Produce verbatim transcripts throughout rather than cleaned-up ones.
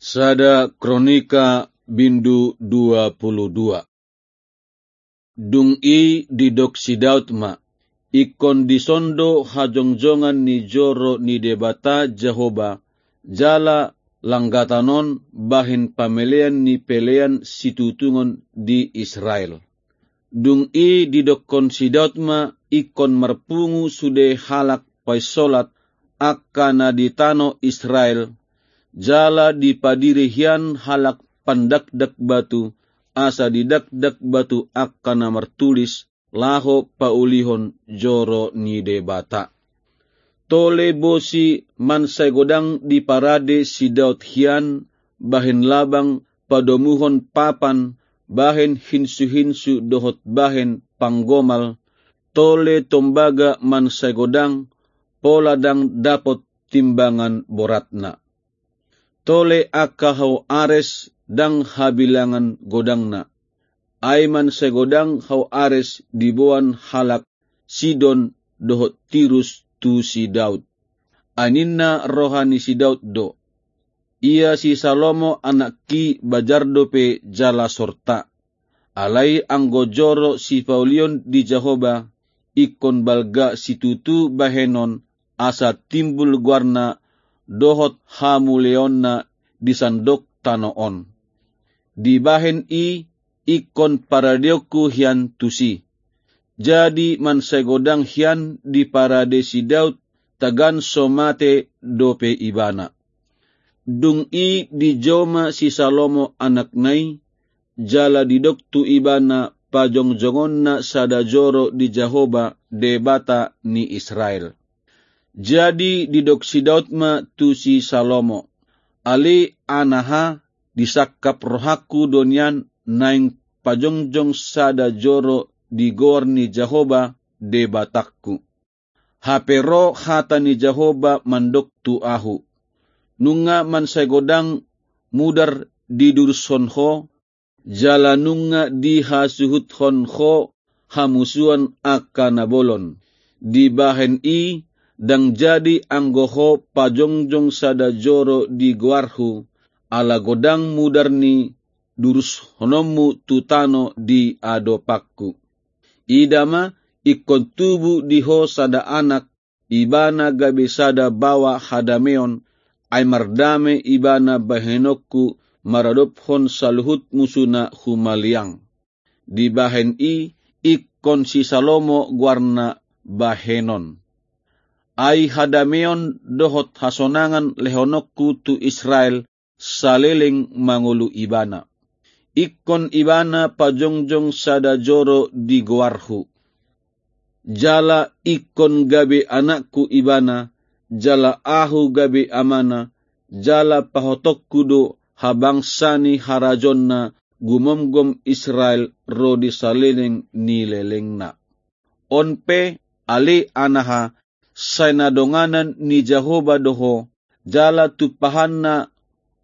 Sada Kronika bindu dua pulu dua. Dung i didok si Daud ma, ingkon dison do hajongjongan ni joro ni Debata Jahowa, jala langgatan on bahen pamelean ni pelean situtungon di Israel. Dung i didokkon si Daud ma, ingkon marpungu sude halak painsolat angka na di tano Israel, jala dipadiri hian halak pandakdak batu, asa didakdak batu angka na martulis, laho paulihon joro ni Debata. Tole bosi mansai godang diparade si Daud hian, bahen labang, padomuhon papan, bahen hinsuhinsu dohot bahen panggomal, tole tombaga mansai godang, pola ndang dapot timbangan boratna. Tole angka hau ares ndang habilangan godangna. Ai mansai godang hau ares diboan halak Sidon dohot Tirus tu si Daud. Ai ninna roha ni si Daud do: Ia si Salomo anakki bajar dope jala sorta. Alai anggo joro sipaulion di Jahowa, ingkon balga situtu bahenon, asa timbul goarna dohot hamuliaonna di sandok tano on. Dibahen i ingkon paradeonku hian tusi. Jadi mansai godang hian diparade si Daud, tagan so mate dope ibana. Dung i dijou ma si Salomo anakna i, jala didok tu ibana pajongjongonna sada joro di Jahowa, Debata ni Israel. Jadi didok si Daud ma tu si Salomo: Ale anaha, disangkap rohangku do nian naeng pajongjong sada joro di goar ni Jahowa, Debatangku. Hape ro hata ni Jahowa mandok tu ahu: Nunga mansai godang mudar didurushon ho, jala nunga dihasuhuthon ho hamusuan angka na bolon. Dibahen i ndang jadi anggo ho pajongjong sada joro di goarhu, ala godang mudar ni durushononmu tu tano di adopanku. Ida ma, ingkon tubu di ho sada anak, ibana gabe sada baoa hadameon, ai mardame ibana bahenonku maradophon saluhut musuna humaliang. Dibahen i ingkon si Salomo goarna bahenon. Ai hadameon dohot hasonangan lehononku tu Israel saleleng mangolu ibana. Ingkon ibana pajongjong sada joro di goarhu. Jala ingkon gabe anakku ibana, jala ahu gabe amana, jala pahotonku do habangsa ni harajaonna gumomgom Israel ro di saleleng ni lelengna. On pe, ale anaha, sai na donganan ni Jahowa do ho, jala tumpahanna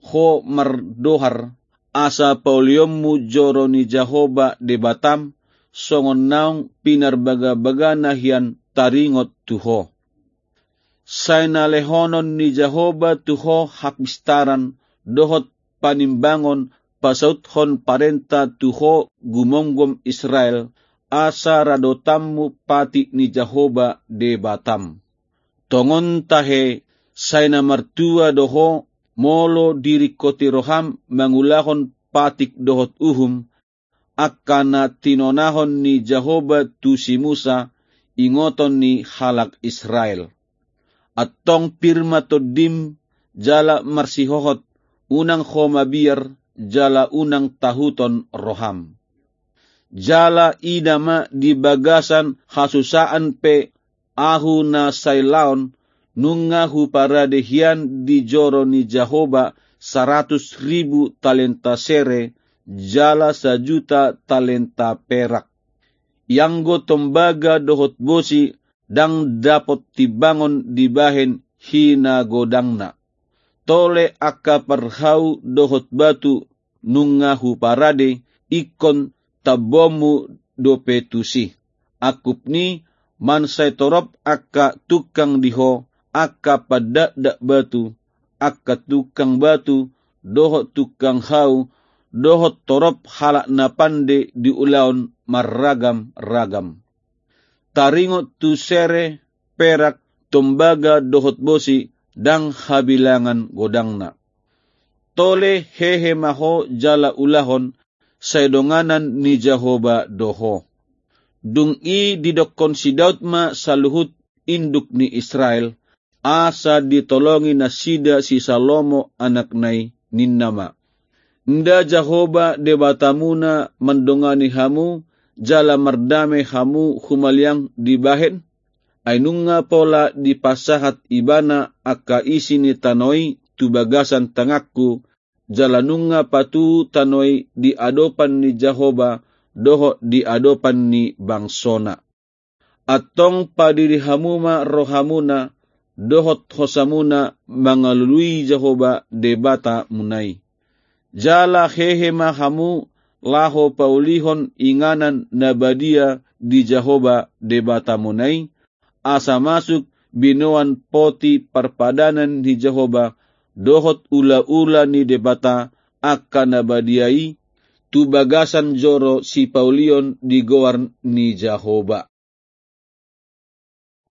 ho mardohar, asa paulionmu joro ni Jahowa Debatam, songon naung pinarbagabagana hian taringot tu ho. Sai na lehonon ni Jahowa tu ho hapistaran dohot panimbangon pasauthon parenta tu ho gumomgom Israel, asa radotanmu patik ni Jahowa Debatam. Tongon tahe, sai na martua do ho, molo diringkoti roham mangulahon patik dohot uhum, angka na tinonahon ni Jahowa tu si Musa, ingoton ni halak Israel. Antong pir ma tondim, jala marsihohot, unang ho mabiar, jala unang tahuton roham. Jala ida ma, di bagasan hasusaan pe ahu na sai laon, nunga huparade hian di joro ni Jahowa saratus ribu talenta sere, jala sajuta talenta perak. Ianggo tombaga dohot bosi ndang dapot timbangon dibahen hinagodangna. Tole angka parhau dohot batu nunga huparade, ingkon tambonmu dope tusi. Angkup ni, mansai torop angka tungkang di ho, angka pandakdak batu, angka tungkang batu, dohot tungkang hau, dohot torop halak na pande di ulaon marragam-ragam. Taringot tu sere, perak, tombaga dohot bosi, ndang habilangan godangna. Tole hehe ma ho jala ulahon, sai donganan ni Jahowa do ho. Dung i didokkon si Daud ma saluhut induk ni Israel, asa ditolongi nasida si Salomo anakna i, ninna ma: Nda Jahowa Debatamuna mandongani hamu, jala mardame hamu humaliang dibahen? Ai nunga pola dipasahat ibana angka isi ni tano i tu bagasan tanganku, jala nunga patu tano i di adopan ni Jahowa dohot di adopan ni bangsona. Antong padiri hamu ma rohamuna dohot hosamuna mangalului Jahowa Debatamuna i. Jala hehe ma hamu laho paulihon inganan na badia di Jahowa Debatamuna i, asa masuk binoan poti parpadanan ni Jahowa dohot ulaula ni Debata angka na badia i tu bagasan joro sipaulion di goar ni Jahowa.